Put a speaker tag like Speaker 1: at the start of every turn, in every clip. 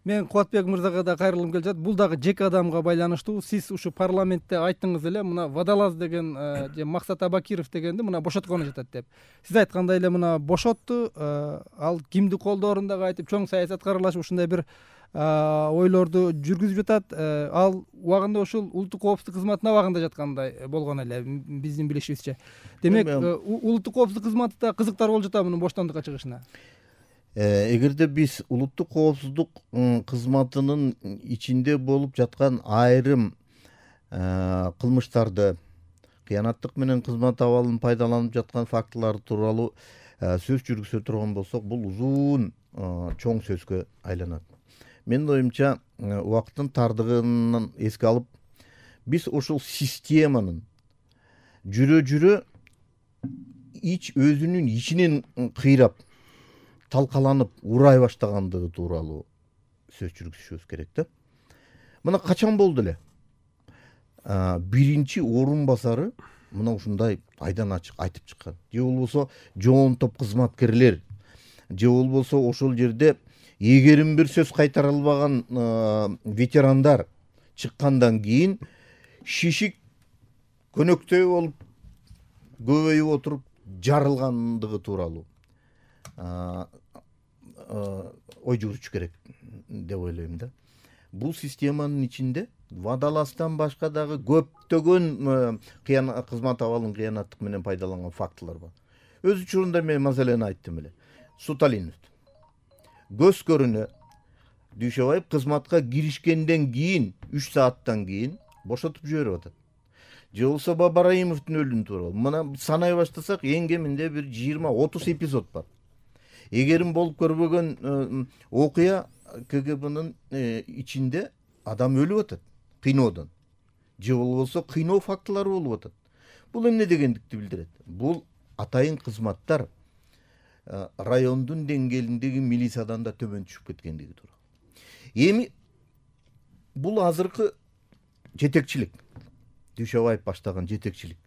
Speaker 1: Мен Кубатбек мырзага да кайрылгым келип жатат. Бул дагы жеке адамга байланыштуу. Сиз ушу парламентте айттыңыз эле, мына Водолаз деген же Максат Абакиров дегенди мына бошоткону жатат деп. Сиз айткандай эле мына бошотту. Ал кимди колдоорун дагы айтып, чоң саясатка аралашып ушундай бир ойлорду жүргүзүп жатат. Ал убагында ушул улуттук коопсуздук кызматына абагында жаткандай болгон эле биздин билишибизче. Демек, улуттук коопсуздук кызматында кызыктар болуп жатабы мунун боштондукка чыгышына?
Speaker 2: Эгерде биз улуттук коопсуздук кызматынын ичинде болуп жаткан айрым кылмыштарды, кыянаттык менен кызмат абалын пайдаланып жаткан фактылар тууралуу сөз жүргүзө турган болсок, бул узун чоң сөзгө айланат. Менин оюмча, убакыттын тардыгын эске алып, биз ушул системанын жүрө өзүнүн ичинен кыйрап, талкаланып, урай баштагандыгы тууралуу сөз жүргүзүшүбүз керек да. Мына качан болду эле? Биринчи орун басары мына ушундай айдан ачык айтып чыккан. Же болбосо жоон топ кызматкерлер, же болбосо ошол жерде эгерим бир сөз кайтара албаган ветерандар чыккандан кийин шишик көнөктөй болуп көбөйүп отуруп жарылгандыгы тууралуу ой жүргүзүш керек деп ойлойм да. Бул системанын ичинде Водолаздан башка дагы көптөгөн кызмат абалын кыянаттык менен пайдаланган фактылар бар. Өз учурунда мен маселени айттым эле. Суталинов көз көрүнө Дүйшөбаев кызматка киришкенден кийин 3 сааттан кийин бошотуп жиберип атат. Же болбосо Бабараимовдун өлүмү тууралуу. Мына санай баштасак, эң кеминде бир 20-30 эпизод бар. Эгерим болуп көрбөгөн окуя КГБнын ичинде адам өлүп атат кыйноодон. Же болбосо кыйноо фактылары болуп атат. Бул эмне дегендикти билдирет? Бул атайын кызматтар райондун деңгээлиндеги милициядан да төмөн түшүп кеткендиги тууралуу. Эми бул азыркы жетекчилик, Дүйшөбаев баштаган жетекчилик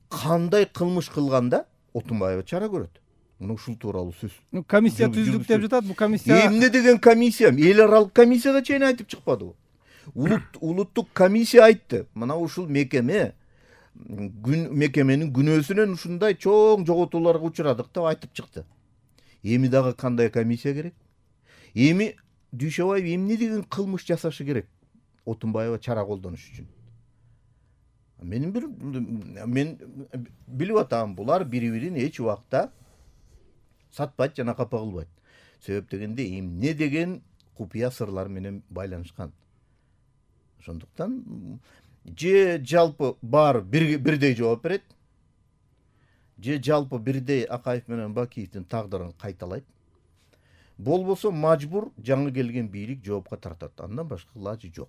Speaker 2: кандай кылмыш кылганда Отунбаева чара көрөт? Мына ушул тууралуу сөз.
Speaker 1: Комиссия түздүк деп жатат. Бул комиссия
Speaker 2: эмне деген комиссия? Эл аралык комиссияга чейин айтып чыкпадыбы? Улуттук комиссия айтты. Мына ушул мекеменин күнөөсүнөн ушундай чоң жоготууларга учурадык деп айтып чыкты. Эми дагы кандай комиссия керек? Эми Дүйшөбаев эмне деген кылмыш жасашы керек Отунбаева чара колдонуш үчүн? Мен билип атам, булар бири-бирин эч убакта сатпайт жана капа кылбайт. Себеп дегенде эмне деген купуя сырлар менен байланышкан. Ошондуктан же жалпы баары бирдей жооп берет, же жалпы бирдей Акаев менен Бакиевдин тагдырын кайталайт. Болбосо мажбур жаңы келген бийлик жоопко тартат. Андан башка ылажы жок.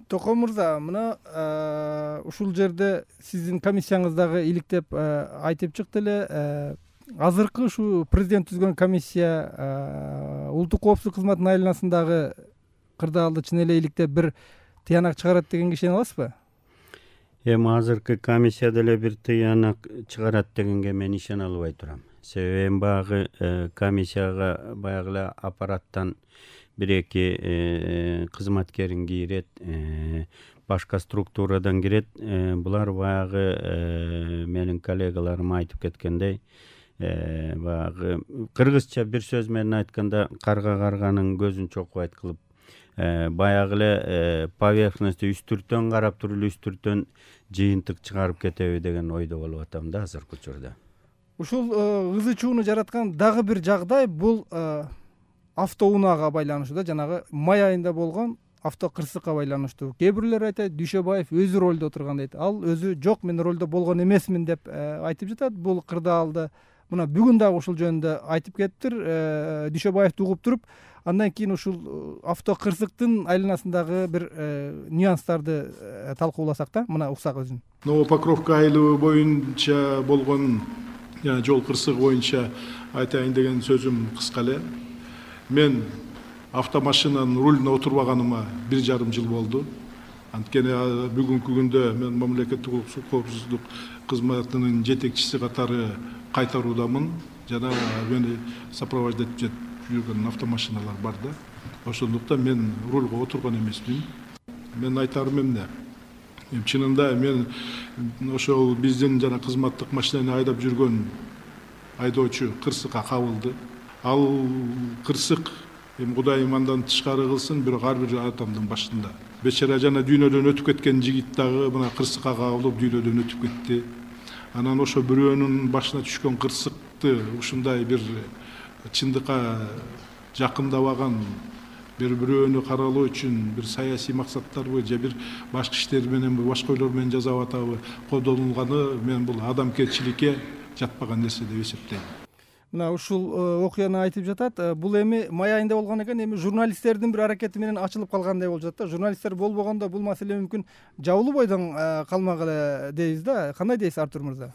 Speaker 1: Токон мырза, мына ушул жерде сиздин комиссияңыздагы иликтеп айтып чыкты эле. Азыркы ушу президент түзгөн комиссия улуттук коопсуздук кызматынын айланасындагы кырдаалды чын эле иликтеп бир тыянак чыгарат дегенге ишене аласызбы?
Speaker 3: Эми азыркы комиссия деле бир тыянак чыгарат дегенге мен ишене албай турам. Себеби баягы комиссияга баягы эле аппараттан бир-эки кызматкерин кийрет, башка структурадан кирет. Булар баягы менин коллегаларым айтып кеткендей, баягы кыргызча бир сөз менен айтканда карганын көзүн чокубайт кылып, баягы эле поверхностьты үстүртөн карап туруп эле үстүртөн жыйынтык чыгарып кетеби деген ойдо болуп атам да азыркы учурда.
Speaker 1: Ушул ызы чууну жараткан дагы бир жагдай бул автоунаага байланыштуу да, жанагы май айында болгон автокырсыкка байланыштуу. Кээ бирлер айтат, Дүйшөбаев өзү ролдо отурган дейт. Ал өзү жок, мен ролдо болгон эмесмин деп айтып жатат. Бул кырдаалды мына бүгүн дагы ушул жөнүндө айтып кетиптир. Дүйшөбаевди угуп туруп, андан кийин ушул автокырсыктын айланасындагы бир нюанстарды талкууласак да, мына уксак өзүн.
Speaker 4: Новопокровка айылы боюнча болгон жол кырсыгы боюнча айтайын деген сөзүм кыска эле. Мен автомашинанын рулуна отурбаганыма 1,5 жыл болду. Анткени бүгүнкү күндө мен мамлекеттик улуттук коопсуздук кызматынын жетекчиси катары кайтаруудамын жана мени сопровождать жүргөн автомашиналар бар да. Ошондуктан мен рульга отурган эмесмин. Мен айтарым эмне? Чынында мен ошол биздин жана кызматтык машинаны айдап жүргөн айдоочу кырсыкка кабылды. Ал кырсык Кудайым андан тышкары кылсын, бирок ар бир адамдын башында. Бечара жана дүйнөдөн өтүп кеткен жигит дагы мына кырсыкка кабылып дүйнөдөн өтүп кетти. Анан ошо бирөөнүн башына түшкөн кырсыкты ушундай бир чындыкка жакындабаган, бирөөнү каралоо үчүн бир саясий максаттарбы же бир башка иштер менен башка ойлор менен жасап атабы колдонулганы мен бул адамгерчиликке жатпаган нерсе деп эсептейм.
Speaker 1: Мына ушул окуяны айтып жатат. Бул эми май айында болгон экен, эми журналисттердин бир аракети менен ачылып калгандай болуп жатат да. Журналисттер болбогондо бул маселе мүмкүн жабылуу бойдон калмагыла дейбиз да. Кандай дейсиз Артур мырза?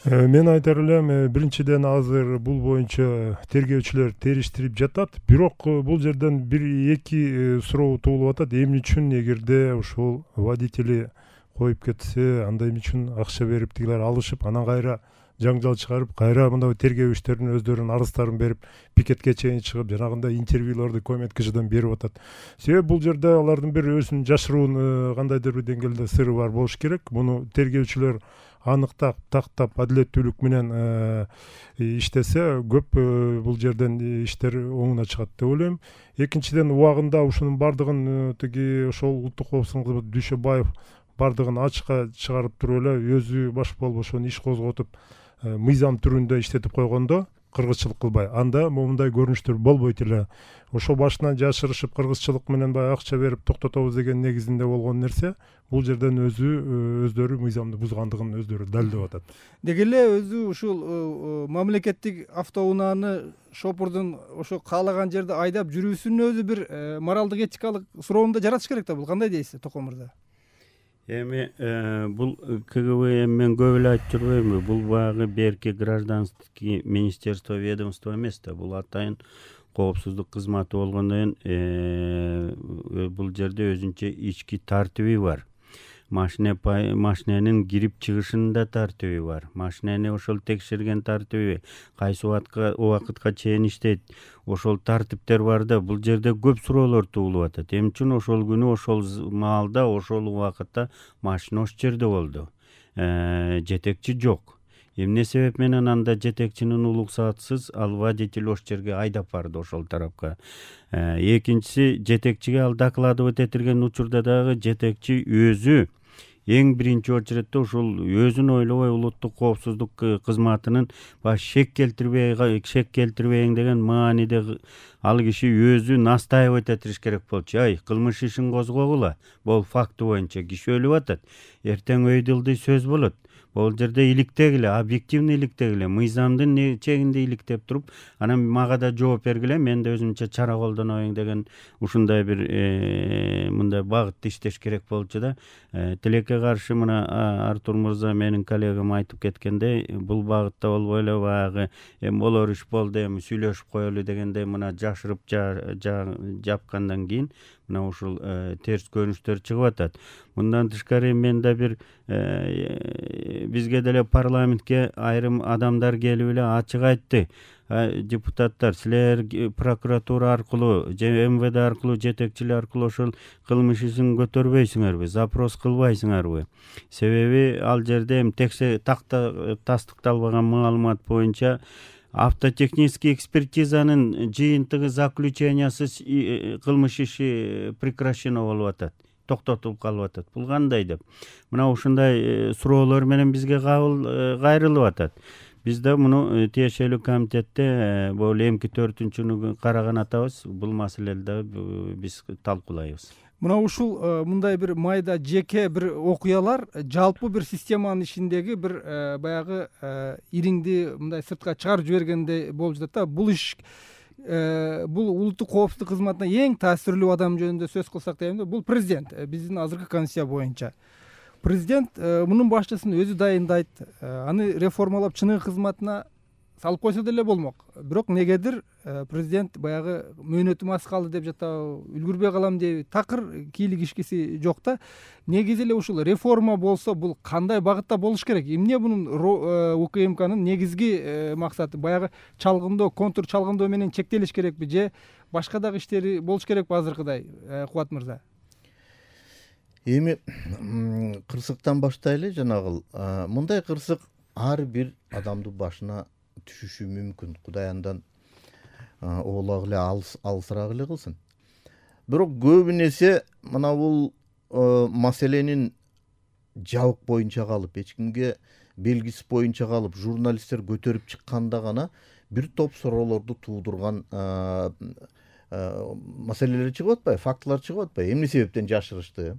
Speaker 5: Мен айтар элем, биринчиден азыр бул боюнча тергөөчүлөр териштирип жатат. Бирок бул жерден бир эки суроо туулуп атат. Эмне үчүн эгерде ушул водители коюп кетсе, анда эмне үчүн акча берип тигилер алышып, анан кайра жаңжал чыгарып, кайра мындай тергөө иштерин өздөрүнүн арыздарын берип, пикетке чейин чыгып, жанагындай интервьюларды көмөт кишиден берип атат. Себеби бул жерде алардын бир өзүнүн жашыруун кандайдыр бир деңгээлде сыры бар болуш керек. Муну тергөөчүлөр аныктап, тактап, адилеттүүлүк менен иштесе, көп бул жерден иштер оңуна чыгат деп ойлойм. Экинчиден, убагында ушунун бардыгын тиги ошол улуттук коопсуздук кызматы Дүйшөбаев бардыгын ачыкка чыгарып туруп эле өзү баш болуп ошону иш козготуп мыйзам түрүндө иштетип койгондо кыргызчылык кылбай, анда момундай көрүнүштөр болбойт эле. Ошо башынан жашырышып кыргызчылык менен баягы акча берип токтотобуз деген негизинде болгон нерсе бул жерден өздөрү мыйзамды бузгандыгын өздөрү далилдеп атат.
Speaker 1: Деги эле өзү ушул мамлекеттик автоунааны шопурдун ошо каалаган жерде айдап жүрүүсүнүн өзү бир моралдык этикалык суроону да жаратыш керек да. Бул кандай дейсиз, Токон мырза?
Speaker 3: Эми бул КГБ мен көп эле айтып жүрбөймүнбү? Бул баягы берки гражданский министерство ведомство эмес да. Бул атайын коопсуздук кызматы болгондон кийин бул жерде өзүнчө ички тартиби бар. Машиненин кирип чыгышында тартиби бар. Машинени ошол текшерген тартиби, кайсы убакытка чейин иштейт, ошол тартиптер бар да. Бул жерде көп суроолор туулуп атат. Эмне үчүн ошол күнү, ошол маалда, ошол убакытта машина ошол жерде болду? Жетекчи жок. Эмне себеп менен анда жетекчинин уруксатысыз ал водитель ошол жерге айдап барды ошол тарапка? Экинчиси, жетекчиге ал докладывать этилген учурда дагы жетекчи өзү эң биринчи очередде ушул өзүн ойлобой улуттук коопсуздук кызматынын шек келтирбейин деген мааниде ал киши өзү настаивать этиш керек болчу. Кылмыш ишин козгогула. Бул факты боюнча киши өлүп атат. Эртең өй дылдый сөз болот. Бул жерде иликтегиле, объективный иликтегиле, мыйзамдын чегинде иликтеп туруп, анан мага да жооп бергиле, мен да өзүмчө чара колдоноюн деген ушундай бир мындай багытта иштеш керек болчу да. Тилекке каршы мына Артур мырза менин коллегам айтып кеткендей, бул багытта болбой эле баягы болор иш болду, эми сүйлөшүп коелу дегендей мына жашырып жапкандан кийин мына ушул терс көрүнүштөр чыгып атат. Мындан тышкары мен да бир бизге деле парламентке айрым адамдар келип эле ачык айтты. Депутаттар, силер прокуратура аркылуу же МВД аркылуу, жетекчилер аркылуу ошол кылмыш ишин көтөрбөйсүңөрбү, запрос кылбайсыңарбы? Себеби ал жерде тастыкталбаган маалымат боюнча автотехнический экспертизанын жыйынтыгы заключениясыз кылмыш иши прекращено болуп атат, токтотулуп калып атат. Бул кандай деп? Мына ушундай суроолор менен бизге кайрылып атат. Биз да муну тиешелүү комитетте бул эмки 4-күнү караган атабыз. Бул маселелерди биз талкуулайбыз.
Speaker 1: Мына ушул мындай бир майда жеке бир окуялар жалпы бир системанын ичиндеги бир баягы ириңди мындай сыртка чыгарып жибергендей болуп жатат да. Бул иш бул улуттук коопсуздук кызматына эң таасирлүү адам жөнүндө сөз кылсак дейм да, бул президент. Биздин азыркы конституция боюнча президент мунун башчысын өзү дайындайт, аны реформалап чыныгы кызматына салып койсо деле болмок. Бирок негедир президент баягы мөөнөтүм аз калды деп жатабы, үлгүрбөй калам деп такыр кийлик ишкиси жок да. Негизи эле ушул реформа болсо бул кандай багытта болуш керек? Эмне бунун УКМКнын негизги максаты? Баягы чалгындоо, контур чалгындоо менен чектелиш керекпи же башка дагы иштери болуш керекпи азыркыдай, Кубат мырза?
Speaker 2: Эми кырсыктан баштайлы. Жанагыл мындай кырсык ар бир адамдын башына түшүшү мүмкүн. Кудай андан оолак эле алысыраак эле кылсын. Бирок көбүнесе мына бул маселенин жабык боюнча калып, эч кимге белгисиз боюнча калып, журналисттер көтөрүп чыкканда гана бир топ суроолорду туудурган маселелер чыгып атпайбы, фактылар чыгып атпайбы? Эмне себептен жашырышты?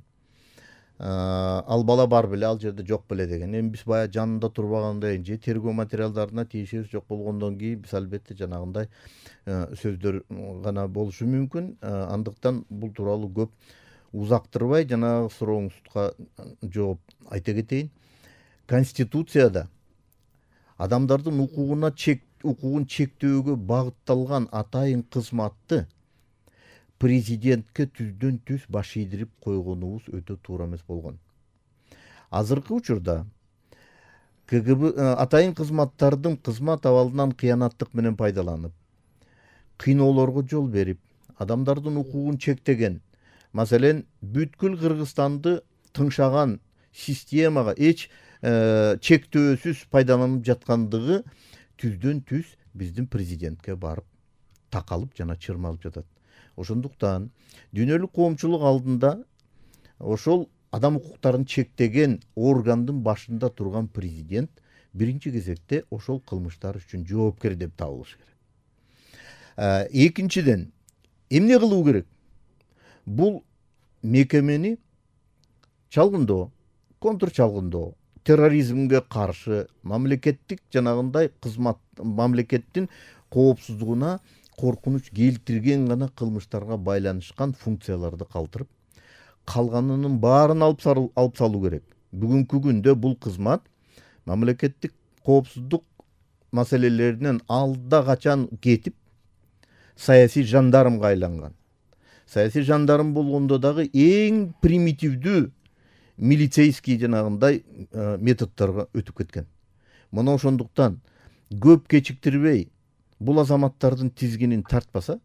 Speaker 2: Ал бала бар беле, ал жерде жок беле деген. Эми биз баягы жанында турбагандай же тергөө материалдарына тийишибиз жок болгондон кийин биз албетте жанагындай сөздөр гана болушу мүмкүн. Андыктан бул тууралуу көп узактырбай жанагы сурооңузга жооп айта кетейин. Конституцияда адамдардын укугун чектөөгө багытталган атайын кызматты президентке түздөн түз баш ийдирип койгонубуз өтө туура эмес болгон. Азыркы учурда КГБ атайын кызматтардын кызмат абалынан кыянаттык менен пайдаланып, кыйноолорго жол берип, адамдардын укугун чектеген, маселен, бүткүл Кыргызстанды тыңшаган системага эч чектөөсүз пайдаланып жаткандыгы түздөн түз биздин президентке барып такалып жана чырмалып жатат. Ошондуктан дүйнөлүк коомчулук алдында ошол адам укуктарын чектеген органдын башында турган президент биринчи кезекте ошол кылмыштар үчүн жоопкер деп табылышы керек. Экинчиден, эмне кылуу керек? Бул мекемени чалгындоо, контур чалгындоо, терроризмге каршы, мамлекеттик жанагындай кызмат, мамлекеттин коопсуздугуна коркунуч келтирген гана кылмыштарга байланышкан функцияларды калтырып, калганынын баарын алып салуу керек. Бүгүнкү күндө бул кызмат мамлекеттик коопсуздук маселелеринен алда качан кетип, саясий жандармга айланган. Саясий жандарм болгондо дагы эң примитивдүү милицейский жанагындай методдорго өтүп кеткен. Мына ошондуктан көп кечиктирбей бул азаматтардын тизгинин тартпаса,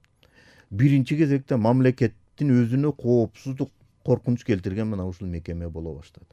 Speaker 2: биринчи кезекте мамлекеттин өзүнө коопсуздук, коркунуч келтирген мына ушул мекеме боло баштады.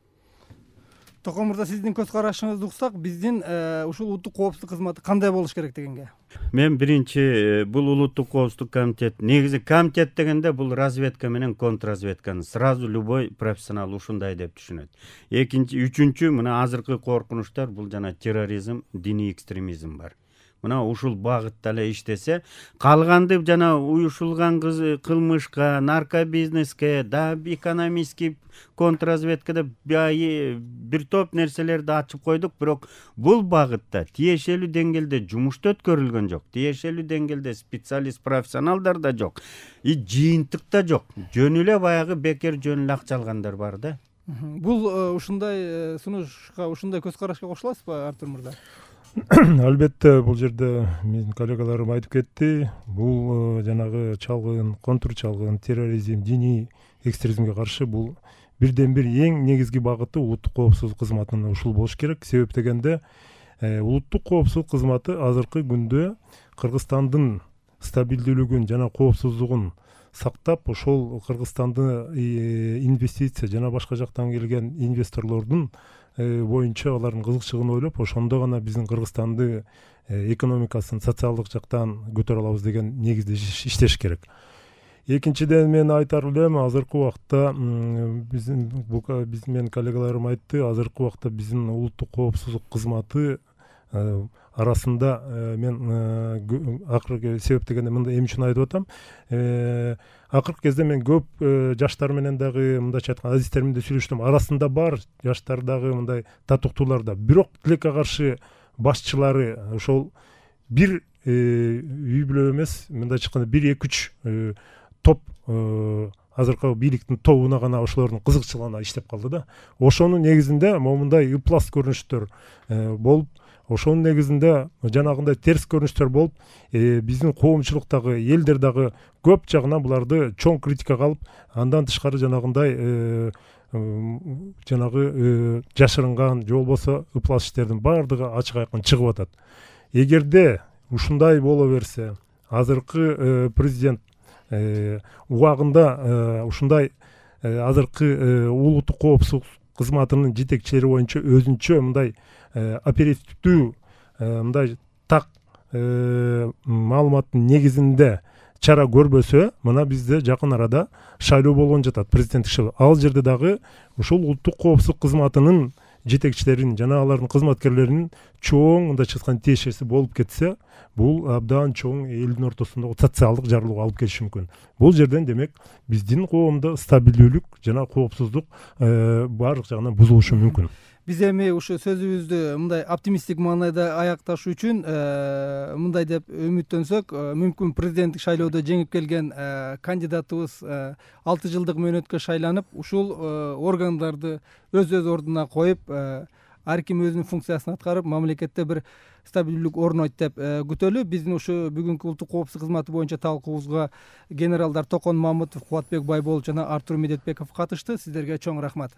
Speaker 1: Токон мырза, сиздин көз карашыңызды уксак, биздин ушул улуттук коопсуздук кызматы кандай болуш керек дегенге?
Speaker 3: Мен биринчи бул улуттук коопсуздук комитет, негизи комитет дегенде бул разведка менен контрразведканы сразу любой профессионал ушундай деп түшүнөт. Экинчи, үчүнчү, мына азыркы коркунучтар бул жана терроризм, диний экстремизм бар. Мына ушул багытта эле иштесе, калганды жана уюшулган кылмышка, наркобизнеске, да экономический контрразведкада бир топ нерселерди ачып койдук, бирок бул багытта тиешелүү деңгээлде жумуш өткөрүлгөн жок. Тиешелүү деңгээлде специалист, профессионалдар да жок. Жыйынтык да жок. Жөн эле баягы бекер жөн эле акча алгандар бар да.
Speaker 1: Бул ушундай сунушка, ушундай көз карашка кошуласызбы, Артур мырза?
Speaker 5: Албетте, бул жерде менин коллегаларым айтып кетти. Бул жанагы чалгын, контур чалгын, терроризм, диний экстремизмге каршы бул бирден бир эң негизги багыты улуттук коопсуздук кызматынын ушул болуш керек. Себеп дегенде улуттук коопсуздук кызматы азыркы күндө Кыргызстандын стабилдүүлүгүн жана коопсуздугун сактап, ошол Кыргызстанды инвестиция жана башка жактан келген инвесторлордун боюнча алардын кызыкчылыгын ойлоп, ошондо гана биздин Кыргызстанды экономикасын социалдык жактан көтөрө алабыз деген негизде иштеш керек. Экинчиден мен айтар элем, азыркы убакта менин коллегаларым айтты, азыркы убакта биздин улуттук коопсуздук кызматы арасында мен акыркы себеп дегенде мындай эмне үчүн айтып атам, акыркы кезде мен көп жаштар менен дагы мындайча айтканда азиздер менен сүйлөштүм. Арасында бар жаштар дагы мындай татыктуулар да. Бирок тилекке каршы башчылары ошол бир үй бүлө эмес, мындайча айтканда 1-2-3 топ азыркы бийликтин тобуна гана ошолордун кызыкчылыгына иштеп калды да. Ошонун негизинде момундай ыплас көрүнүштөр болуп, ошонун негизинде жанагындай терс көрүнүштөр болуп, биздин коомчулуктагы элдер дагы көп жагынан буларды чоң критикага алып, андан тышкары жанагындай жанагы жашырынган же болбосо ыплас иштердин баардыгы ачык айкын чыгып атат. Эгерде ушундай боло берсе, азыркы президент убагында ушундай азыркы улуттук коопсуздук кызматынын жетекчилери боюнча өзүнчө мындай оперативдүү мындай так маалыматтын негизинде чара көрбөсө, мына бизде жакын арада шайлоо болгон жатат, президенттик шайлоо. Ал жерде дагы ушул улуттук коопсуздук кызматынын жетекчилерин жана алардын кызматкерлеринин чоң мындайча айтканда тиешеси болуп кетсе, бул абдан чоң элдин ортосундагы социалдык жарылууга алып келиши мүмкүн. Бул жерден демек биздин коомдо стабилдүүлүк жана коопсуздук баардык жагынан бузулушу мүмкүн.
Speaker 1: Биз эми ушу сөзүбүздү мындай оптимисттик маанайда аякташуу үчүн мындай деп үмүттөнсөк, мүмкүн президенттик шайлоодо жеңип келген кандидатыбыз 6 жылдык мөөнөткө шайланып, ушул органдарды өз ордуна коюп, ар ким өзүнүн функциясын аткарып, мамлекетте бир стабилдүүлүк орнойт деп күтөлү. Биздин ушу бүгүнкү улуттук коопсуздук кызматы боюнча талкуубузга генералдар Токон Мамытов, Кубатбек Байболов жана Артур Медетбеков катышты. Сиздерге чоң рахмат.